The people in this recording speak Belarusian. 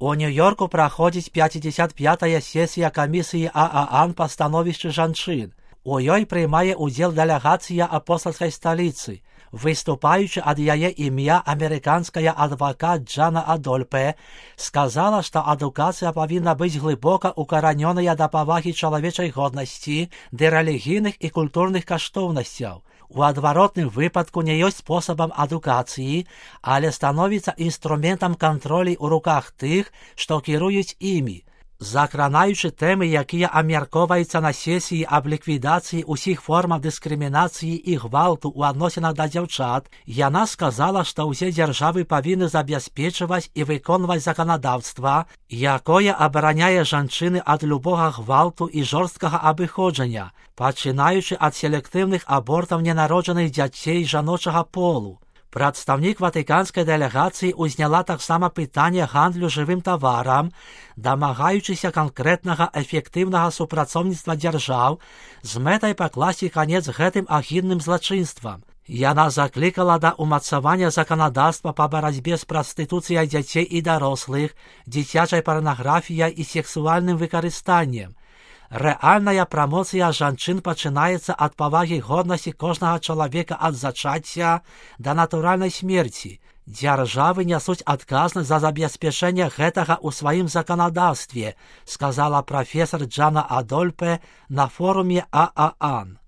У Нью-Йорку праходзіць 55-я сесія камісіі ААН па становішчы жанчын. У ёй прымае ўдзел дэлегацыя апостальскай сталіцы. Выступаючы ад яе імя амерыканская адвакат Джана Адольпе сказала, што адукацыя павінна быць глыбока укаранёная да павагі чалавечай годнасці, да рэлігійных і культурных каштоўнасцяў. У адваротным выпадку не ёсць спосабам адукацыі, але становіцца інструментам кантролю ў руках тых, што кіруюць імі. Закранаючы тэмы, якія абмяркоўваюцца на сесіі аб ліквідацыі ўсіх формаў дыскрымінацыі і гвалту ў адносінах да дзяўчат, яна сказала, што ўсе дзяржавы павінны забяспечваць і выконваць заканадаўства, якое абараняе жанчыны ад любога гвалту і жорсткага абыходжання, пачынаючы ад селектыўных абортаў ненароджаных дзяцей жаночага полу. Прадстаўнік ватыканскай дэлегацыі ўзняла таксама пытанне гандлю жывым таварам, дамагаючыся канкрэтнага эфектыўнага супрацоўніцтва дзяржаў з мэтай пакласці канец гэтым агідным злачынствам. Яна заклікала да ўмацавання заканадаўства па барацьбе з прастытуцыяй дзяцей і дарослых, дзіцячай парнаграфіяй і сексуальным выкарыстаннем. Рэальная прамоцыя жанчын пачынаецца ад павагі годнасці кожнага чалавека ад зачацця да натуральнай смерці. Дзяржавы нясуць адказнасць за забеспячэнне гэтага ў сваім заканадаўстве, сказала прафесар Джана Адольпе на форуме ААН.